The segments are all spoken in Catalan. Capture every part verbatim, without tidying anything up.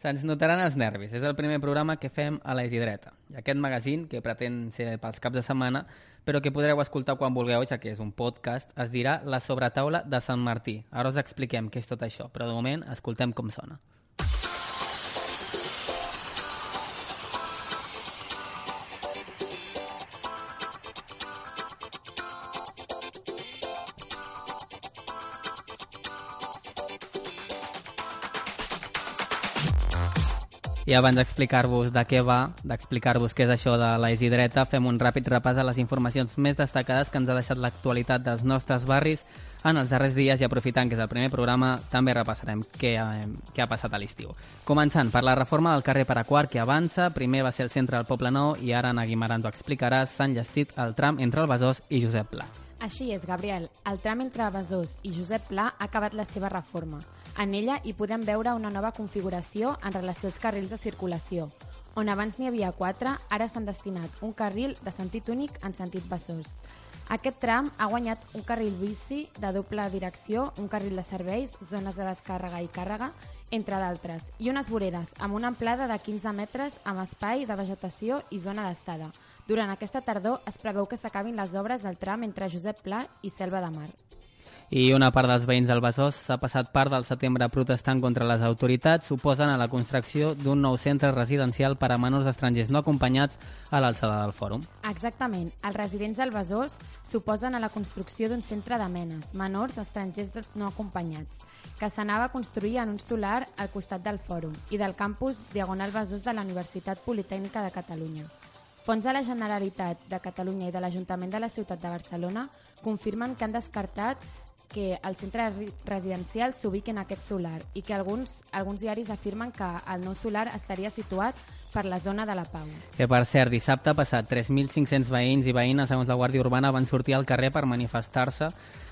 Se'ns notaran els nervis. És el primer programa que fem a la Isidreta. I aquest magazín, que pretén ser pels caps de setmana, però que podreu escoltar quan vulgueu, ja que és un podcast, es dirà La sobretaula de Sant Martí. Ara us expliquem què és tot això, però de moment escoltem com sona. I abans d'explicar-vos de què va, d'explicar-vos què és això de la Isidreta, fem un ràpid repàs a les informacions més destacades que ens ha deixat l'actualitat dels nostres barris en els darrers dies i aprofitant que és el primer programa, també repassarem què, eh, què ha passat a l'estiu. Començant per la reforma del carrer Paraquart que avança, primer va ser el centre del Poble Nou i ara en Guimarà ens ho explicarà, s'ha enllestit el tram entre el Besòs i Josep Pla. Així és, Gabriel. El tram entre Besòs i Josep Pla ha acabat la seva reforma. En ella hi podem veure una nova configuració en relació als carrils de circulació. On abans n'hi havia quatre, ara s'han destinat un carril de sentit únic en sentit Besòs. Aquest tram ha guanyat un carril bici de doble direcció, un carril de serveis, zones de descàrrega i càrrega, entre d'altres, i unes voreres amb una amplada de quinze metres amb espai de vegetació i zona d'estada. Durant aquesta tardor es preveu que s'acabin les obres del tram entre Josep Pla i Selva de Mar. I una part dels veïns del Besòs s'ha passat part del setembre protestant contra les autoritats, suposen a la construcció d'un nou centre residencial per a menors estrangers no acompanyats a l'alçada del fòrum. Exactament. Els residents del Besòs s'oposen a la construcció d'un centre de menes, menors estrangers no acompanyats, que s'anava a construir en un solar al costat del fòrum i del campus Diagonal Besòs de la Universitat Politècnica de Catalunya. Fons de la Generalitat de Catalunya i de l'Ajuntament de la Ciutat de Barcelona confirmen que han descartat que el centre residencial s'ubiqui en aquest solar i que alguns, alguns diaris afirmen que el nou solar estaria situat per la zona de la Pau. Que per cert, dissabte passat tres mil cinc-cents veïns i veïnes, segons la Guàrdia Urbana, van sortir al carrer per manifestar-se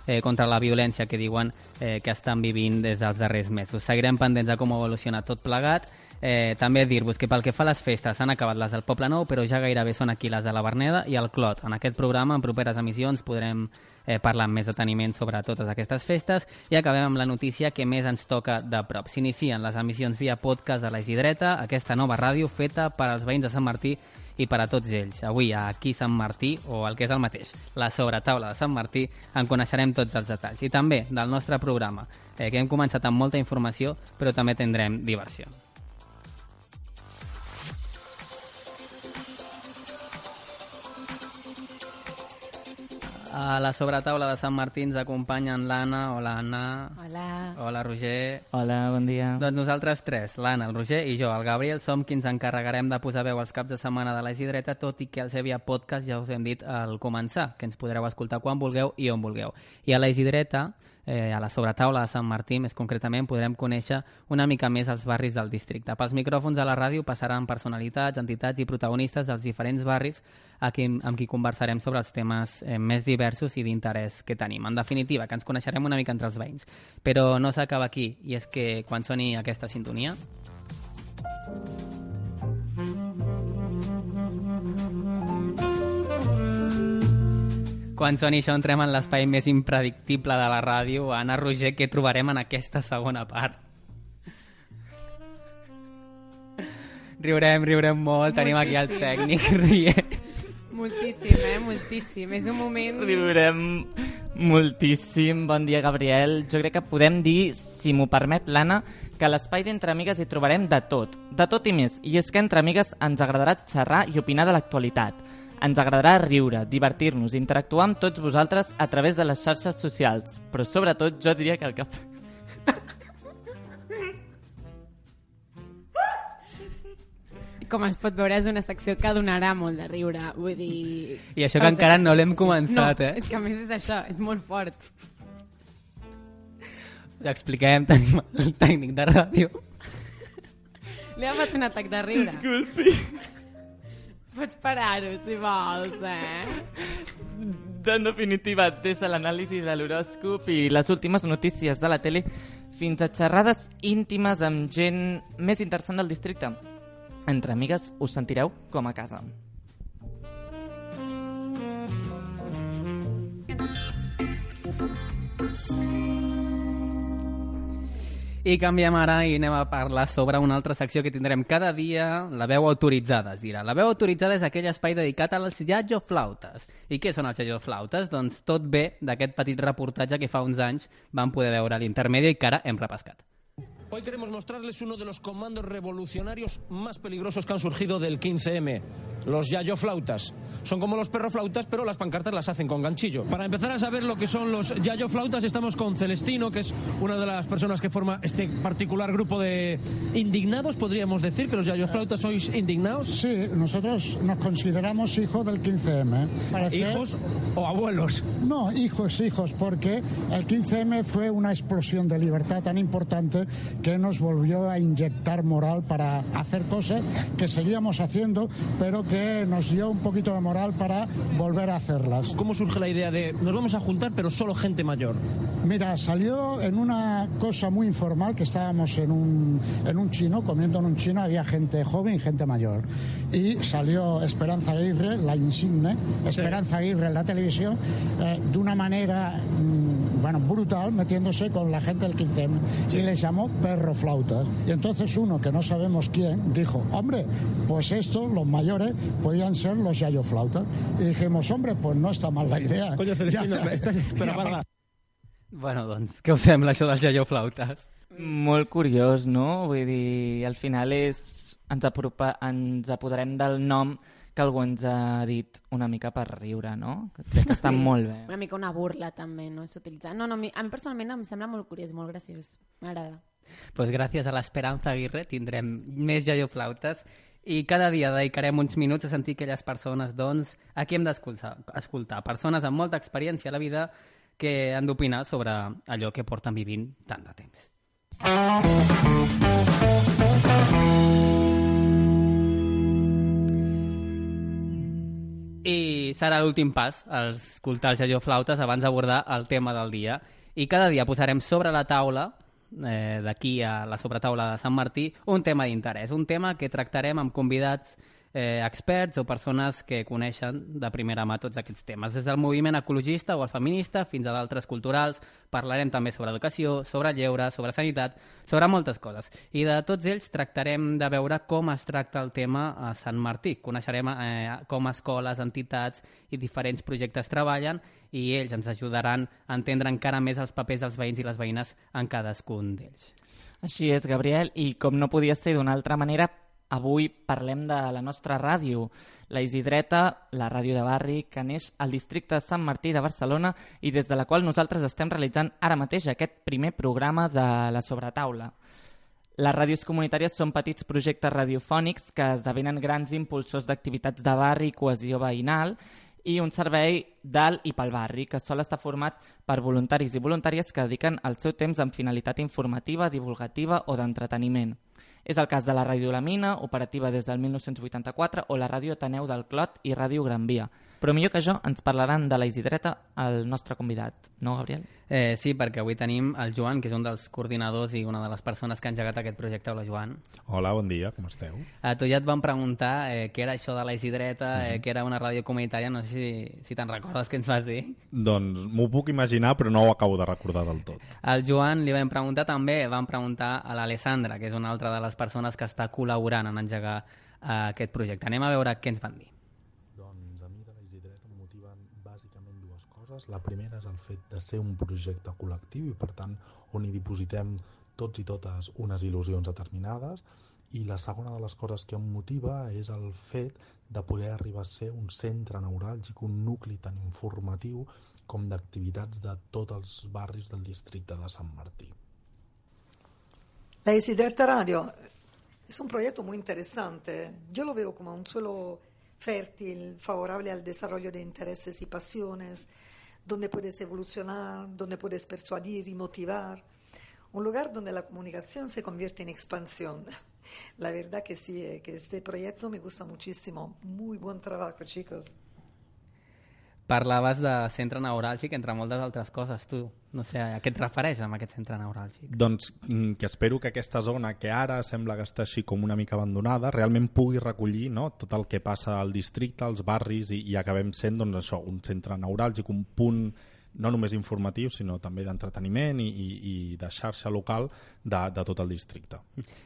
eh, contra la violència que diuen eh, que estan vivint des dels darrers mesos. Seguirem pendents de com evoluciona tot plegat. Eh, també dir-vos que pel que fa a les festes s'han acabat les del Poble Nou, però ja gairebé són aquí les de la Verneda i el Clot. En aquest programa, en properes emissions, podrem eh, parlar amb més deteniment sobre totes aquestes festes i acabem amb la notícia que més ens toca de prop. S'inicien les emissions via podcast de la Isidreta, aquesta nova ràdio feta per als veïns de Sant Martí i per a tots ells. Avui, aquí Sant Martí, o el que és el mateix, la sobretaula de Sant Martí, en coneixerem tots els detalls. I també del nostre programa, eh, que hem començat amb molta informació, però també tindrem diversió. A la sobretaula de Sant Martí ens acompanyen l'Anna. Hola, Anna. Hola. Hola, Roger. Hola, bon dia. Doncs nosaltres tres, l'Anna, el Roger i jo, el Gabriel, som qui ens encarregarem de posar veu als caps de setmana de la Isidreta, tot i que el Sevilla Podcast ja us hem dit al començar, que ens podreu escoltar quan vulgueu i on vulgueu. I a la Isidreta, eh, a la sobretaula de Sant Martí, més concretament, podrem conèixer una mica més els barris del districte. Pels micròfons de la ràdio passaran personalitats, entitats i protagonistes dels diferents barris a qui, amb qui conversarem sobre els temes eh, més diversos i d'interès que tenim. En definitiva, que ens coneixerem una mica entre els veïns. Però no s'acaba aquí, i és que quan soni aquesta sintonia... Quan soni això entrem en l'espai més impredictible de la ràdio. Anna, Roger, què trobarem en aquesta segona part? Riurem, riurem molt, tenim aquí el tècnic rient. Moltíssim, eh? Moltíssim. És un moment... Riurem moltíssim. Bon dia, Gabriel. Jo crec que podem dir, si m'ho permet l'Anna, que a l'espai d'Entre Amigues hi trobarem de tot. De tot i més. I és que Entre Amigues ens agradarà xerrar i opinar de l'actualitat. Ens agradarà riure, divertir-nos, interactuar amb tots vosaltres a través de les xarxes socials. Però sobretot jo diria que el que... Com es pot veure, és una secció que donarà molt de riure. Vull dir... I això que o encara no l'hem començat, no, eh? És que a més és això, és molt fort. Ja expliquem, tenim el tècnic de ràdio. Li ha fet un atac de riure. Disculpi. Pots parar-ho, si vols, eh? En definitiva, des de l'anàlisi de l'horòscop i les últimes notícies de la tele fins a xerrades íntimes amb gent més interessant del districte. Entre Amigues us sentireu com a casa. I canviem ara i anem a parlar sobre una altra secció que tindrem cada dia, la veu autoritzada, es dirà. La veu autoritzada és aquell espai dedicat als iaioflautes. I què són els iaioflautes? Doncs tot ve d'aquest petit reportatge que fa uns anys vam poder veure a l'Intermèdia i que ara hem repescat. Hoy queremos mostrarles uno de los comandos revolucionarios más peligrosos que han surgido del quince eme, los yayoflautas. Son como los perroflautas, pero las pancartas las hacen con ganchillo. Para empezar a saber lo que son los yayoflautas, estamos con Celestino, que es una de las personas que forma este particular grupo de indignados. ¿Podríamos decir que los yayoflautas sois indignados? Sí, nosotros nos consideramos hijos del quince eme. Parece... ¿Hijos o abuelos? No, hijos, hijos, porque el quince eme fue una explosión de libertad tan importante que nos volvió a inyectar moral para hacer cosas que seguíamos haciendo, pero que nos dio un poquito de moral para volver a hacerlas. ¿Cómo surge la idea de nos vamos a juntar, pero solo gente mayor? Mira, salió en una cosa muy informal, que estábamos en un, en un chino, comiendo en un chino, había gente joven y gente mayor. Y salió Esperanza Aguirre, la insigne, Esperanza Aguirre en la televisión, eh, de una manera... Mmm, bueno, brutal, metiéndose con la gente del quince eme, y les llamó perroflautas. Y entonces uno, que no sabemos quién, dijo, hombre, pues estos, los mayores, podían ser los yayoflautas. Y dijimos, hombre, pues no está mal la idea. Coño, Celestino, ja, estàs... Però, ja, bueno, doncs, què us sembla això dels yayoflautes? Molt curiós, no? Vull dir, al final és... ens, apropa... ens apoderem del nom que algú ens ha dit una mica per riure, no? Crec que està sí, molt bé. Una mica una burla, també, no? S'utilitza. No, no, a mi, a mi personalment em sembla molt curiós, molt graciós. M'agrada. Pues gràcies a l'Esperanza Aguirre tindrem més yayoflautes i cada dia dedicarem uns minuts a sentir aquelles persones, doncs, a qui hem d'escoltar. Escoltar. Persones amb molta experiència a la vida que han d'opinar sobre allò que porten vivint tant de temps. I serà l'últim pas, escoltar els yayoflautes abans d'abordar el tema del dia. I cada dia posarem sobre la taula, eh, d'aquí a la sobretaula de Sant Martí, un tema d'interès, un tema que tractarem amb convidats eh, experts o persones que coneixen de primera mà tots aquests temes. Des del moviment ecologista o el feminista fins a d'altres culturals, parlarem també sobre educació, sobre lleure, sobre sanitat, sobre moltes coses. I de tots ells tractarem de veure com es tracta el tema a Sant Martí. Coneixerem eh, com escoles, entitats i diferents projectes treballen i ells ens ajudaran a entendre encara més els papers dels veïns i les veïnes en cadascun d'ells. Així és, Gabriel, i com no podia ser d'una altra manera, avui parlem de la nostra ràdio, la Isidreta, la ràdio de barri, que neix al districte de Sant Martí de Barcelona i des de la qual nosaltres estem realitzant ara mateix aquest primer programa de la sobretaula. Les ràdios comunitàries són petits projectes radiofònics que esdevenen grans impulsors d'activitats de barri i cohesió veïnal i un servei del i pel barri, que sol estar format per voluntaris i voluntàries que dediquen el seu temps amb finalitat informativa, divulgativa o d'entreteniment. És el cas de la Ràdio La Mina, operativa des del mil nou-cents vuitanta-quatre, o la Ràdio Ateneu del Clot i Ràdio Gran Via. Però millor que això ens parlaran de la Isidreta el nostre convidat, no, Gabriel? Eh, sí, perquè avui tenim el Joan, que és un dels coordinadors i una de les persones que ha engegat aquest projecte. Hola, Joan. Hola, bon dia, com esteu? A tu ja et van preguntar eh, què era això de la Isidreta, eh, mm-hmm. que era una ràdio comunitària, no sé si, si te'n recordes què ens vas dir. Doncs m'ho puc imaginar, però no ho acabo de recordar del tot. Al Joan li vam preguntar també, vam preguntar a l'Alessandra, que és una altra de les persones que està col·laborant en engegar eh, aquest projecte. Anem a veure què ens van dir. Doncs a mi de la Isidreta em motiven bàsicament dues coses. La primera és el fet de ser un projecte col·lectiu i per tant on hi dipositem tots i totes unes il·lusions determinades, i la segona de les coses que em motiva és el fet de poder arribar a ser un centre neuràlgic, un nucli tan informatiu com d'activitats de tots els barris del districte de Sant Martí. La Isidreta Radio es un proyecto muy interesante. Yo lo veo como un suelo fértil, favorable al desarrollo de intereses y pasiones, donde puedes evolucionar, donde puedes persuadir y motivar. Un lugar donde la comunicación se convierte en expansión. La verdad que sí, que este proyecto me gusta muchísimo. Muy buen trabajo, chicos. Parlaves de centre neuràlgic, entre moltes altres coses, tu. No sé, a què et refereix amb aquest centre neuràlgic? Doncs que espero que aquesta zona, que ara sembla que està així com una mica abandonada, realment pugui recollir, no?, tot el que passa al districte, als barris, i, i acabem sent, doncs, això, un centre neuràlgic, un punt no només informatiu, sinó també d'entreteniment i, i, i de xarxa local de, de tot el districte.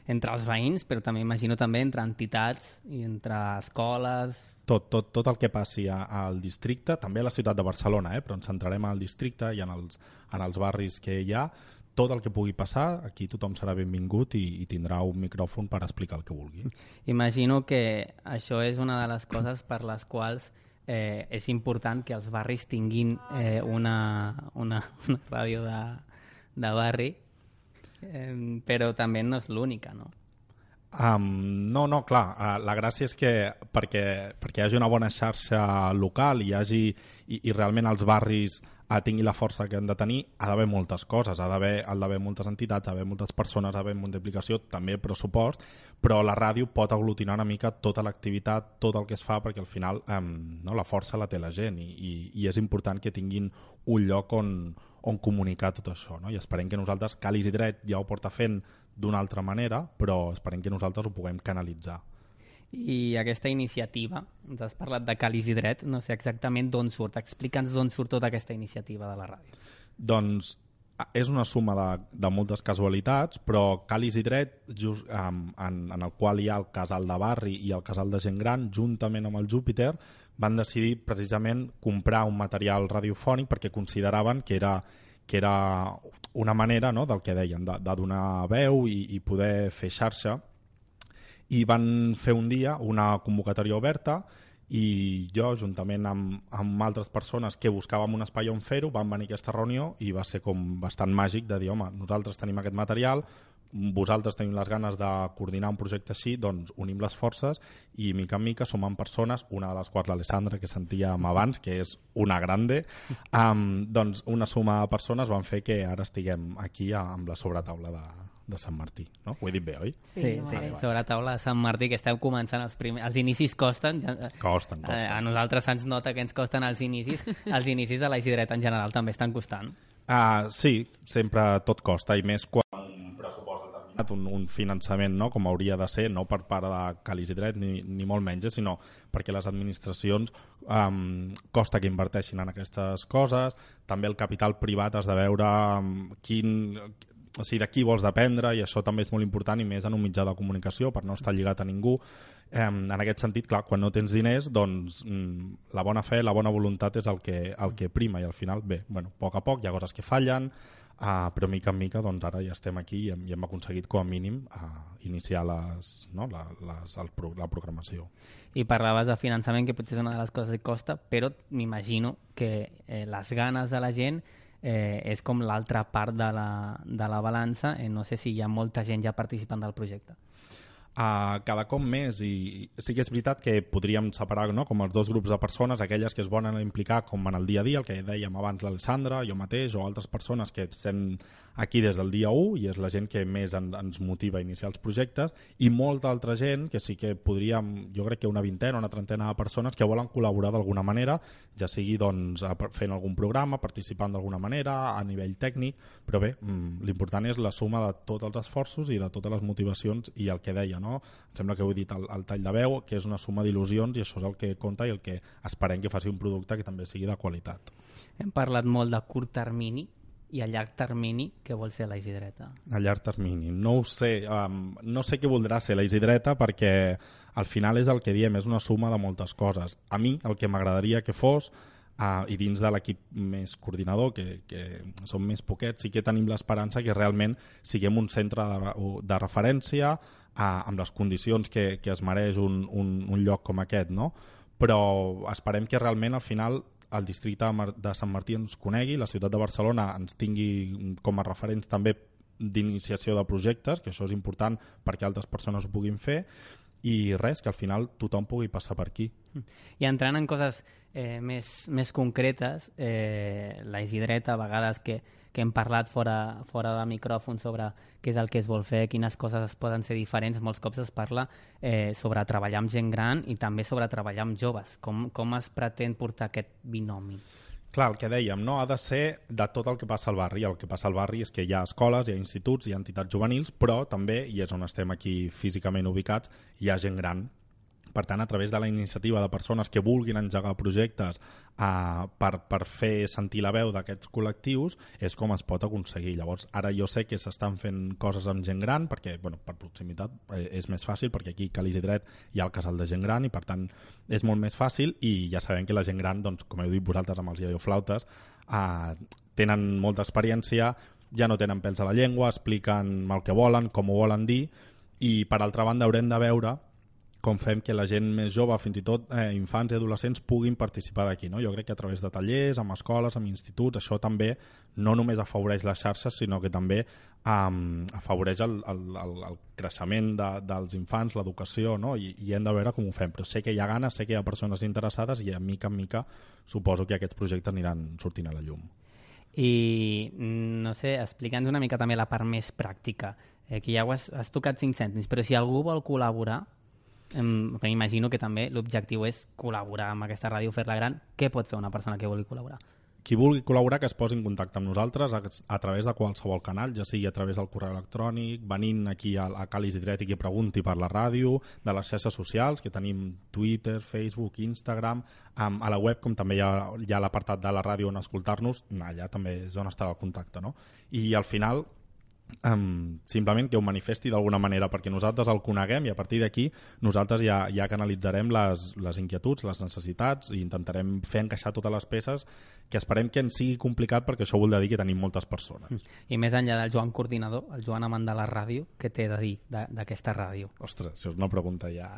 Entre els veïns, però també imagino també entre entitats i entre escoles... Tot, tot, tot el que passi a, al districte, també a la ciutat de Barcelona, eh? Però ens centrarem al districte i en els, en els barris que hi ha. Tot el que pugui passar, aquí tothom serà benvingut i, i tindrà un micròfon per explicar el que vulgui. Imagino que això és una de les coses per les quals eh, és important que els barris tinguin eh, una, una, una ràdio de, de barri, eh, però també no és l'única, no? Um, no, no, clar, uh, la gràcia és que perquè, perquè hi hagi una bona xarxa local i, hi hagi, i, i realment els barris uh, tingui la força que han de tenir, ha d'haver moltes coses, ha d'haver moltes entitats, ha d'haver moltes persones, ha d'haver multiplicació, també pressupost, però la ràdio pot aglutinar una mica tota l'activitat, tot el que es fa, perquè al final um, no, la força la té la gent i, i, i és important que tinguin un lloc on, on comunicar tot això, no? I esperem que nosaltres, Calis i Dret ja ho porta fent d'una altra manera, però esperem que nosaltres ho puguem canalitzar. I aquesta iniciativa, ens has parlat de Calis i Dret, no sé exactament d'on surt, explica'ns d'on surt tota aquesta iniciativa de la ràdio. Doncs és una suma de, de moltes casualitats, però Calis i Dret, just, um, en, en el qual hi ha el casal de barri i el casal de gent gran, juntament amb el Júpiter, van decidir precisament comprar un material radiofònic perquè consideraven que era que era una manera, no?, del que deien, de, de donar veu i, i poder fer xarxa, i van fer un dia una convocatòria oberta i jo, juntament amb, amb altres persones que buscàvem un espai on fer-ho, vam venir a aquesta reunió i va ser com bastant màgic de dir, home, nosaltres tenim aquest material, vosaltres tenim les ganes de coordinar un projecte així, doncs unim les forces i mica en mica sumant persones, una de les quals l'Alessandra, que sentíem abans, que és una grande, um, doncs una suma de persones van fer que ara estiguem aquí amb la sobretaula de, de Sant Martí, no? Ho he dit bé, oi? Sí, sí, sí. Sobretaula de Sant Martí, que esteu començant els primers... Els inicis costen. Ja, costen, costen. A, a nosaltres se'ns nota que ens costen els inicis. Els inicis de la Isidret en general també estan costant. Uh, sí, sempre tot costa, i més quan un pressupost determinat, un, un finançament, no?, com hauria de ser, no per part de Calis i Dret ni, ni molt menys, sinó perquè les administracions um, costa que inverteixin en aquestes coses, també el capital privat has de veure um, quin... O sigui, de qui vols dependre, i això també és molt important, i més en un mitjà de comunicació, per no estar lligat a ningú. Eh, en aquest sentit, clar, quan no tens diners, doncs mm, la bona fe, la bona voluntat és el que, el que prima, i al final, bé, bueno, a poc a poc hi ha coses que fallen, uh, però mica en mica doncs ara ja estem aquí i hem, i hem aconseguit com a mínim uh, iniciar les, no, la, les, el, la programació. I parlaves de finançament, que potser és una de les coses que costa, però m'imagino que eh, les ganes de la gent eh, és com l'altra part de la, de la balança. Eh, no sé si hi ha molta gent ja participant del projecte. Uh, cada cop més, i sí que és veritat que podríem separar, no?, com els dos grups de persones, aquelles que es volen implicar com en el dia a dia, el que dèiem abans l'Alessandra, jo mateix, o altres persones que estem aquí des del dia u, i és la gent que més en, ens motiva a iniciar els projectes, i molta altra gent que sí que podríem, jo crec que una vintena, una trentena de persones que volen col·laborar d'alguna manera, ja sigui doncs fent algun programa, participant d'alguna manera, a nivell tècnic, però bé, l'important és la suma de tots els esforços i de totes les motivacions, i el que deia, no? Em sembla que ho he dit al, al tall de veu, que és una suma d'il·lusions, i això és el que compta i el que esperem que faci un producte que també sigui de qualitat. Hem parlat molt de curt termini, i a llarg termini què vol ser la Isidreta? A llarg termini, no ho sé, um, no sé què voldrà ser la Isidreta, perquè al final és el que diem, és una suma de moltes coses. A mi el que m'agradaria que fos, Uh, i dins de l'equip més coordinador, que, que som més poquets, sí que tenim l'esperança que realment siguem un centre de, de referència uh, amb les condicions que, que es mereix un, un, un lloc com aquest, no? Però esperem que realment al final el districte de Sant Martí ens conegui, la ciutat de Barcelona ens tingui com a referents també d'iniciació de projectes, que això és important perquè altres persones ho puguin fer, i res, que al final tothom pugui passar per aquí. I entrant en coses eh, més, més concretes, eh, la Isidreta, a vegades que, que hem parlat fora, fora de micròfon sobre què és el que es vol fer, quines coses es poden ser diferents, molts cops es parla eh, sobre treballar amb gent gran i també sobre treballar amb joves. Com, com es pretén portar aquest binomi? Clar, el que dèiem, no? Ha de ser de tot el que passa al barri. El que passa al barri és que hi ha escoles, hi ha instituts, hi ha entitats juvenils, però també, i és on estem aquí físicament ubicats, hi ha gent gran Per tant, a través de la iniciativa de persones que vulguin engegar projectes uh, per, per fer sentir la veu d'aquests col·lectius, és com es pot aconseguir. Llavors, ara jo sé que s'estan fent coses amb gent gran, perquè bueno, per proximitat eh, és més fàcil, perquè aquí a Cal Isidret hi ha el casal de gent gran i per tant és molt més fàcil, i ja sabem que la gent gran, doncs, com heu dit vosaltres amb els iaioflautes, uh, tenen molta experiència, ja no tenen pèls a la llengua, expliquen el que volen, com ho volen dir, i per altra banda haurem de veure com fem que la gent més jove, fins i tot eh, infants i adolescents, puguin participar d'aquí. No? Jo crec que a través de tallers, amb escoles, amb instituts, això també no només afavoreix les xarxes, sinó que també um, afavoreix el, el, el, el creixement de, dels infants, l'educació, no? I, i hem de veure com ho fem. Però sé que hi ha ganes, sé que hi ha persones interessades i a mica en mica suposo que aquests projectes aniran sortint a la llum. I, no sé, explica'ns una mica també la part més pràctica, eh, que ja ho has, has tocat cinc cèntims, però si algú vol col·laborar, m'imagino que també l'objectiu és col·laborar amb aquesta ràdio, fer-la gran. Què pot fer una persona que vulgui col·laborar? Qui vulgui col·laborar, que es posi en contacte amb nosaltres a, a través de qualsevol canal, ja sigui a través del correu electrònic, venint aquí a, a Cal Isidret i que pregunti per la ràdio, de les xarxes socials, que tenim Twitter, Facebook, Instagram, um, a la web, com també hi ha, hi ha l'apartat de la ràdio on escoltar-nos, allà també és on estarà el contacte, no? I al final, Um, simplement que ho manifesti d'alguna manera perquè nosaltres el coneguem i a partir d'aquí nosaltres ja, ja canalitzarem les, les inquietuds, les necessitats i intentarem fer encaixar totes les peces, que esperem que ens sigui complicat perquè això vol dir que tenim moltes persones. I més enllà del Joan coordinador, el Joan amant de la ràdio, què té de dir d'aquesta ràdio? Ostres, això és una pregunta ja...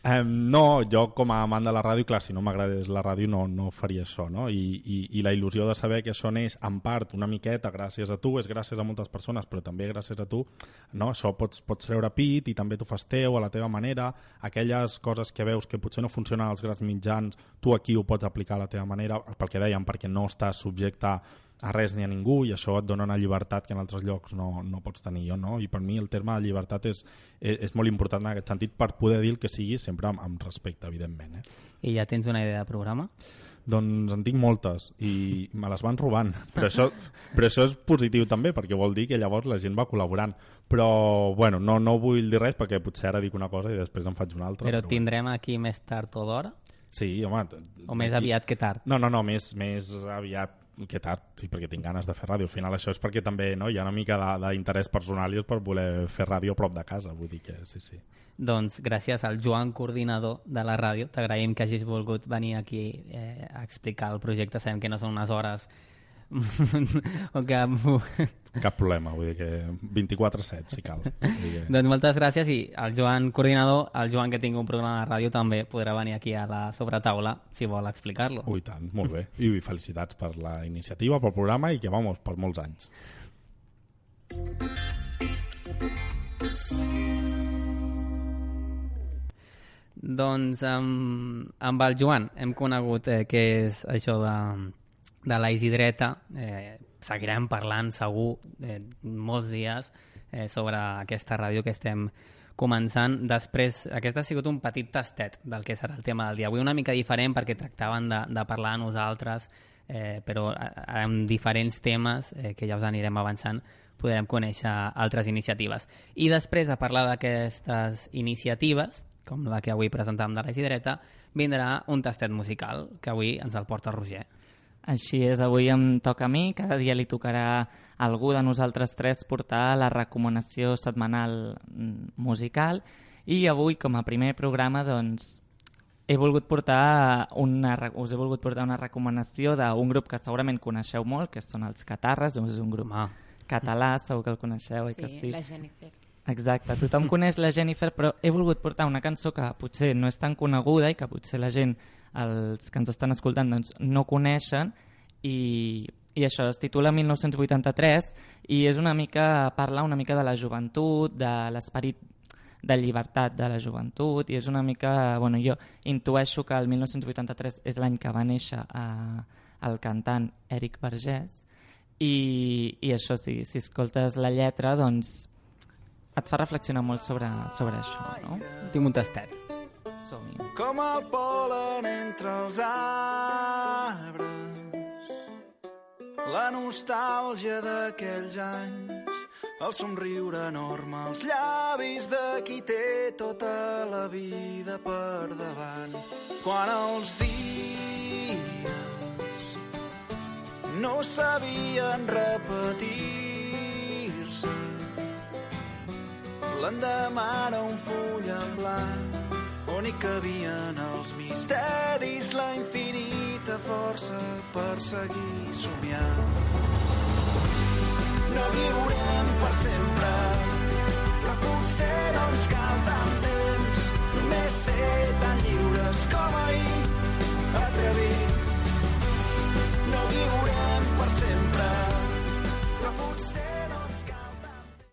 um, no, jo com a amant de la ràdio, clar, si no m'agradés la ràdio no, no faria això, no? I, i, i la il·lusió de saber que això neix en part una miqueta gràcies a tu, és gràcies a moltes persones, però també gràcies a tu, no? Això pots, pots treure pit i també t'ho fas teu a la teva manera, aquelles coses que veus que potser no funcionen als grans mitjans, tu aquí ho pots aplicar a la teva manera, pel que dèiem, perquè no estàs subjecte a res ni a ningú i això et dona una llibertat que en altres llocs no, no pots tenir jo, no? I per mi el terme de llibertat és, és, és molt important en aquest sentit per poder dir el que sigui sempre amb, amb respecte, evidentment. Eh? I ja tens una idea de programa? Doncs en tinc moltes i me les van robant, però això, però això és positiu també perquè vol dir que llavors la gent va col·laborant, però bueno, no, no vull dir res perquè potser ara dic una cosa i després en faig una altra. Però, però tindrem bueno. Aquí més tard o d'hora? Sí, home. O més aquí... aviat que tard? No, no, no, més, més aviat que tard, sí, perquè tinc ganes de fer ràdio. Al final això és perquè també no, hi ha una mica d'interès personal i és per voler fer ràdio a prop de casa, vull dir que sí, sí. Doncs gràcies al Joan, coordinador de la ràdio, t'agraïm que hagis volgut venir aquí eh, a explicar el projecte. Sabem que no són unes hores o que... Cap problema, vull dir que vint-i-quatre set si cal. Que... Doncs moltes gràcies i el Joan, coordinador, el Joan que tingui un programa de ràdio també podrà venir aquí a la sobretaula si vol explicar-lo. Ui, tant, molt bé. I felicitats per la iniciativa, pel programa i que vamos, per molts anys. Doncs amb, amb el Joan hem conegut eh, què és això de, de la Isidreta. Eh, seguirem parlant segur eh, molts dies eh, sobre aquesta ràdio que estem començant. Després, aquest ha sigut un petit tastet del que serà el tema del dia. Avui una mica diferent perquè tractaven de, de parlar a nosaltres, eh, però amb diferents temes eh, que ja us anirem avançant podrem conèixer altres iniciatives. I després de parlar d'aquestes iniciatives, com la que avui presentàvem de la Isidreta, vindrà un tastet musical, que avui ens el porta Roger. Així és, avui em toca a mi, cada dia li tocarà a algú de nosaltres tres portar la recomanació setmanal musical, i avui, com a primer programa, doncs, he volgut portar una, us he volgut portar una recomanació d'un grup que segurament coneixeu molt, que són els Catarres, és un grup ah. català, segur que el coneixeu, sí, que sí? La Jennifer. Exacte, tothom coneix la Jennifer, però he volgut portar una cançó que potser no és tan coneguda i que potser la gent, els que ens estan escoltant, doncs, no coneixen, i, i això es titula mil nou-cents vuitanta-tres i és una mica, parla una mica de la joventut, de l'esperit de llibertat de la joventut, i és una mica, bueno, jo intueixo que el mil nou-cents vuitanta-tres és l'any que va néixer eh, el cantant Éric Vergés, i, i això sí, si escoltes la lletra, doncs et fa reflexionar molt sobre, sobre això, no? Tinc un tastet. Som-hi. Com el pol·len entre els arbres, la nostàlgia d'aquells anys, el somriure enorme, els llavis de qui té tota la vida per davant. Quan els dies no sabien repetir-se, l'endemà era un full en blanc on hi cabien els misteris, la infinita força per seguir somiant. No viurem per sempre, però potser no ens cal tant temps, només ser tan lliures com ahir.